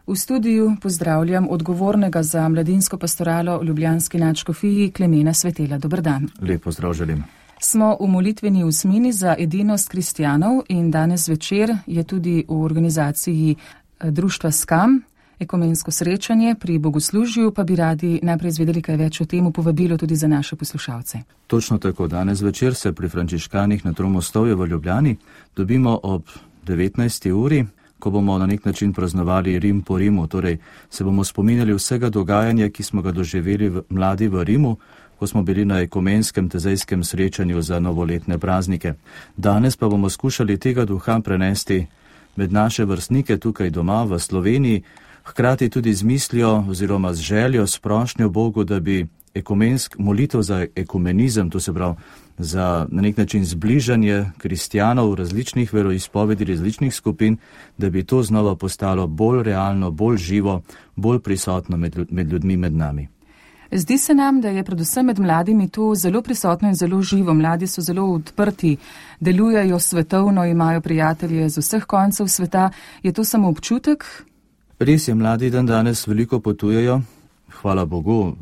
V studiu pozdravljam odgovornega za mladinsko pastoralo v ljubljanski nadškofiji Klemena Svetela. Dober dan. Lep pozdrav želim. Smo v molitveni usmini za edinost kristjanov in danes večer je tudi v organizaciji društva SKAM ekumensko srečanje pri bogoslužju, pa bi radi najprej izvedeli kaj več o tem, povabilo tudi za naše poslušalce. Točno tako, danes večer se pri frančiškanih na Tromostovju v Ljubljani dobimo ob 19. uri, ko bomo na nek način praznovali Rim po Rimu, torej se bomo spominjali vsega dogajanja, ki smo ga doživeli mladi v Rimu, ko smo bili na ekumenskem tezejskem srečanju za novoletne praznike. Danes pa bomo skušali tega duha prenesti med naše vrstnike tukaj doma v Sloveniji, hkrati tudi z mislijo oziroma z željo, s prošnjo Bogu, da bi molitev za ekumenizem, to se pravi za na nek način zbližanje kristjanov različnih veroizpovedi, različnih skupin, da bi to znova postalo bolj realno, bolj živo, bolj prisotno med ljudmi, med nami. Zdi se nam, da je predvsem med mladimi to zelo prisotno in zelo živo. Mladi so zelo odprti, delujejo svetovno, imajo prijatelje z vseh koncev sveta. Je to samo občutek? Res je, mladi dan danes veliko potujejo, hvala Bogu.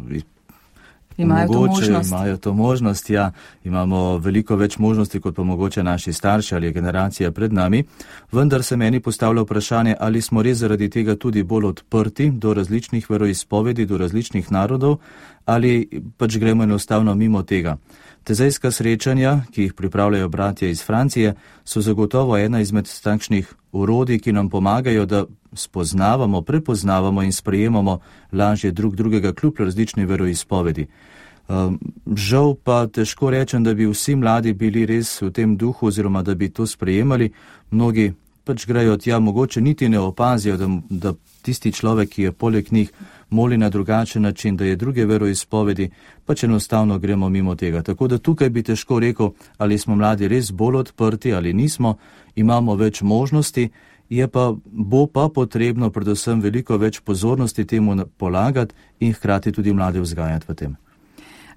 Imajo to možnost, ja. Imamo veliko več možnosti, kot pa mogoče naši starši ali generacija pred nami. Vendar se meni postavlja vprašanje, ali smo res zaradi tega tudi bolj odprti do različnih veroizpovedi, do različnih narodov, ali pač gremo enostavno mimo tega. Tezejska srečanja, ki jih pripravljajo bratje iz Francije, so zagotovo ena izmed takšnih orodij, ki nam pomagajo, da spoznavamo, prepoznavamo in sprejemamo lažje drug drugega kljub različni veroizpovedi. Žal pa težko rečem, da bi vsi mladi bili res v tem duhu oziroma da bi to sprejemali. Mnogi pač grejo tja, mogoče niti ne opazijo, da tisti človek, ki je poleg njih, moli na drugačen način, da je druge veroizpovedi, pač enostavno gremo mimo tega. Tako da tukaj bi težko rekel, ali smo mladi res bolj odprti ali nismo, imamo več možnosti, bo pa potrebno predvsem veliko več pozornosti temu polagati in hkrati tudi mlade vzgajati v tem.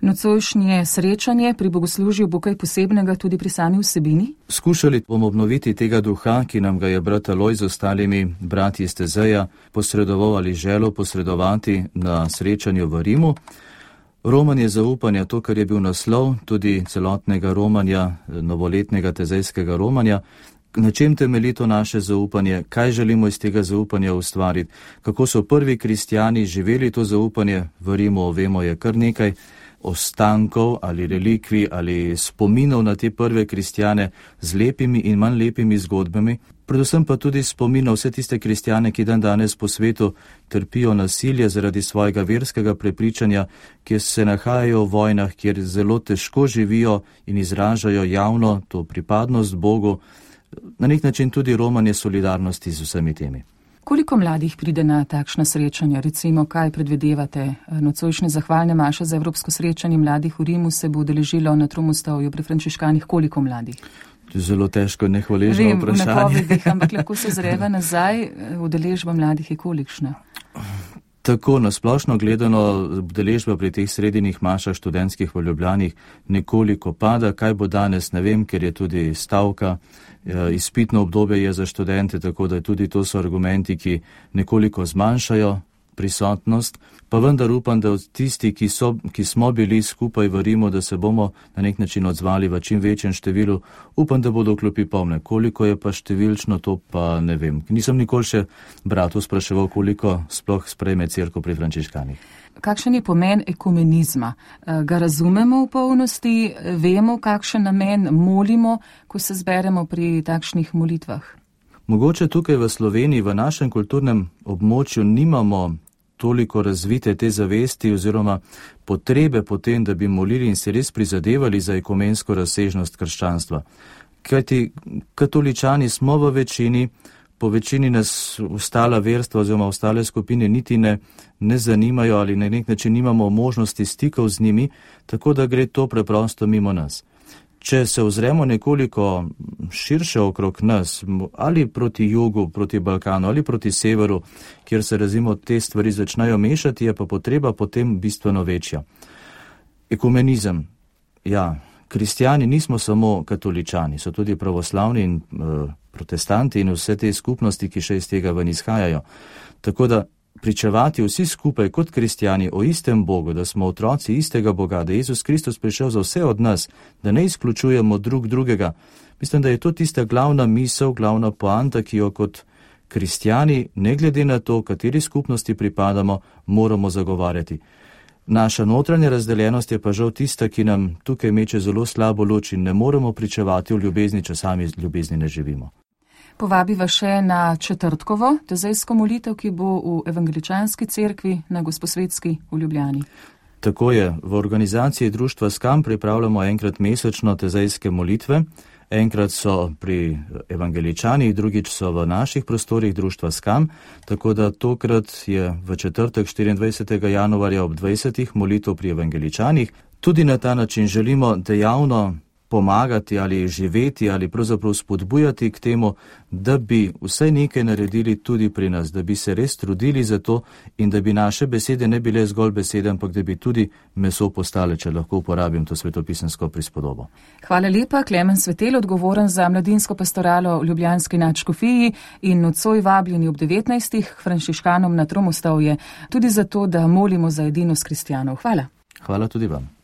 Nocojšnje srečanje pri bogoslužju bo kaj posebnega tudi pri sami vsebini? Skušali bomo obnoviti tega duha, ki nam ga je brat Alojz z ostalimi bratji iz Tezeja posredoval ali želel posredovati na srečanju v Rimu. Romanje zaupanja, to, kar je bil naslov tudi celotnega romanja, novoletnega tezejskega romanja. Na čem temelji to naše zaupanje, kaj želimo iz tega zaupanja ustvariti, kako so prvi kristjani živeli to zaupanje v Rimu, vemo je kar nekaj ostankov ali relikvij ali spominov na te prve kristjane z lepimi in manj lepimi zgodbami, predvsem pa tudi spominov vse tiste kristjane, ki dan danes po svetu trpijo nasilje zaradi svojega verskega prepričanja, kjer se nahajajo v vojnah, kjer zelo težko živijo in izražajo javno to pripadnost Bogu, na nek način tudi romanje solidarnosti z vsemi temi. Koliko mladih pride na takšna srečanja? Recimo, kaj predvidevate? Nocojšnje zahvalne maše za evropsko srečanje mladih v Rimu se bo udeležilo na Tromostovju pri frančiškanih. Koliko mladih? To je zelo težko, nehvaležno vprašanje. Vem, v napovedih, ampak lahko se zreva nazaj, udeležba mladih je kolikšna? Tako, nasplošno gledano, udeležba pri teh sredinjih mašah študentskih v Ljubljani nekoliko pada. Kaj bo danes, ne vem, ker je tudi stavka. Izpitno obdobje je za študente, tako da tudi to so argumenti, ki nekoliko zmanjšajo prisotnost. Pa vendar upam, da tisti, ki smo bili skupaj v Rimu, da se bomo na nek način odzvali v čim večjem številu. Upam, da bodo klopi polne. Koliko je pa številčno, to pa ne vem. Nisem nikoli še bratov spraševal, koliko sploh sprejme cerkev pri frančiškanih. Kakšen je pomen ekumenizma? Ga razumemo v polnosti? Vemo, kakšen namen molimo, ko se zberemo pri takšnih molitvah? Mogoče tukaj v Sloveniji, v našem kulturnem območju nimamo toliko razvite te zavesti oziroma potrebe po tem, da bi molili in se res prizadevali za ekumensko razsežnost krščanstva. Kajti katoličani smo v večini, po večini nas ostala verstva oziroma ostale skupine niti ne zanimajo ali na nek način nimamo možnosti stikov z njimi, tako da gre to preprosto mimo nas. Če se ozremo nekoliko širše okrog nas, ali proti jugu, proti Balkanu, ali proti severu, kjer se razimo te stvari začnejo mešati, je pa potreba potem bistveno večja. Ekumenizem, ja, kristjani nismo samo katoličani, so tudi pravoslavni in protestanti in vse te skupnosti, ki še iz tega ven izhajajo. Tako da pričevati vsi skupaj kot kristjani o istem Bogu, da smo otroci istega Boga, da je Jezus Kristus prišel za vse od nas, da ne izključujemo drug drugega, mislim, da je to tista glavna misel, glavna poanta, ki jo kot kristjani, ne glede na to, kateri skupnosti pripadamo, moramo zagovarjati. Naša notranja razdeljenost je pa žal tista, ki nam tukaj meče zelo slabo luč in ne moremo pričevati o ljubezni, če sami ljubezni ne živimo. Povabiva še na četrtkovo tezejsko molitev, ki bo v Evangeličanski cerkvi na Gosposvetski v Ljubljani. Tako je, v organizaciji društva SKAM pripravljamo enkrat mesečno tezejske molitve. Enkrat so pri Evangeličanih, drugič so v naših prostorih društva SKAM, tako da tokrat je v četrtek 24. januarja ob 20. molitev pri Evangeličanih. Tudi na ta način želimo dejavno pomagati ali živeti ali pravzaprav spodbujati k temu, da bi vsaj nekaj naredili tudi pri nas, da bi se res trudili za to in da bi naše besede ne bile zgolj besede, ampak da bi tudi meso postale, če lahko uporabim to svetopisemsko prispodobo. Hvala lepa, Klemen Svetel, odgovoren za mladinsko pastoralo v Ljubljanski nadškofiji in nocoj vabljeni ob 19. k frančiškanom na Tromostovje, tudi zato, da molimo za edinost kristjanov. Hvala. Hvala tudi vam.